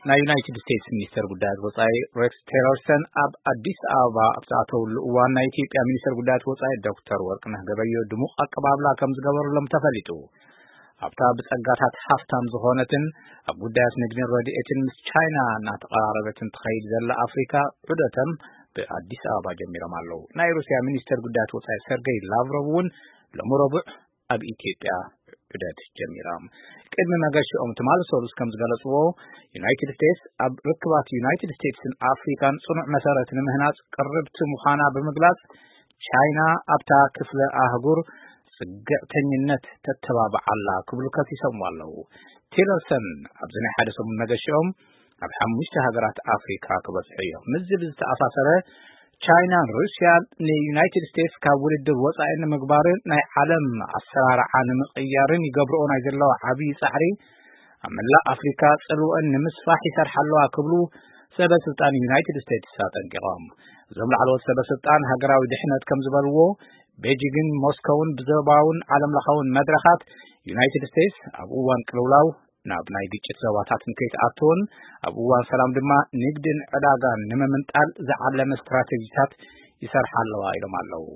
ናይ ዩናይትድ ስቴትስ ሚኒስተር ጉዳያት ወጻኢ ሬክስ ቴለርሰን ኣብ ኣዲስ ኣበባ ኣብ ዝኣተውሉ እዋን፣ ናይ ኢትዮጵያ ሚኒስተር ጉዳያት ወጻኢ ዶክተር ወርቅነህ ገበዮ ድሙቕ ኣቀባብላ ከም ዝገበሩሎም ተፈሊጡ። ኣብታ ብጸጋታት ሃፍታም ዝኾነትን ኣብ ጉዳያት ንግድን ረድኤትን ምስ ቻይና እናተቐራረበትን ትኸይድ ዘላ ኣፍሪካ፣ ዑደቶም ብኣዲስ ኣበባ ጀሚሮም ኣለዉ። ናይ ሩስያ ሚኒስተር ጉዳያት ወጻኢ ሰርገይ ላቭሮቭ እውን ሎሚ ረቡዕ ኣብ ኢትዮጵያ ዑደት ጀሚሮም። ቅድሚ መገሽኦም ትማሊ ሰሉስ ከም ዝገለጽዎ፣ ዩናይትድ ስቴትስ ኣብ ርክባት ዩናይትድ ስቴትስን ኣፍሪካን ጽኑዕ መሰረት ንምህናጽ ቅርብቲ ምዃና ብምግላጽ፣ ቻይና ኣብታ ክፍለ ኣህጉር ጽግዕተኝነት ተተባብዓላ ክብሉ ከሲሶምዋ ኣለዉ። ቲለርሰን ኣብዚ ናይ ሓደ ሰሙን መገሽኦም ኣብ ሓሙሽተ ሃገራት ኣፍሪካ ክበጽሑ እዮም። ምስዚ ብዝተኣሳሰረ፣ ቻይናን ሩስያን ንዩናይትድ ስቴትስ ካብ ውድድር ወጻኢ ንምግባርን ናይ ዓለም ኣሰራርዓ ንምቕያርን ይገብርኦ ናይ ዘለዋ ዓብዪ ጻዕሪ ኣብ መላእ ኣፍሪካ ጽልወን ንምስፋሕ ይሰርሓ ኣለዋ ክብሉ ሰበ ስልጣን ዩናይትድ ስቴትስ ኣጠንቂቖም። እዞም ላዕለዎት ሰበ ስልጣን ሃገራዊ ድሕነት ከም ዝበልዎ፣ ቤጂግን ሞስኮውን ብዞባውን ዓለም ለኻውን መድረኻት ዩናይትድ ስቴትስ ኣብ እዋን ቅልውላው ናብ ናይ ግጭት ዞባታት ንከይትኣትውን፣ ኣብ እዋን ሰላም ድማ ንግድን ዕዳጋን ንምምንጣል ዝዓለመ ስትራቴጂታት ይሰርሓ ኣለዋ ኢሎም ኣለዉ።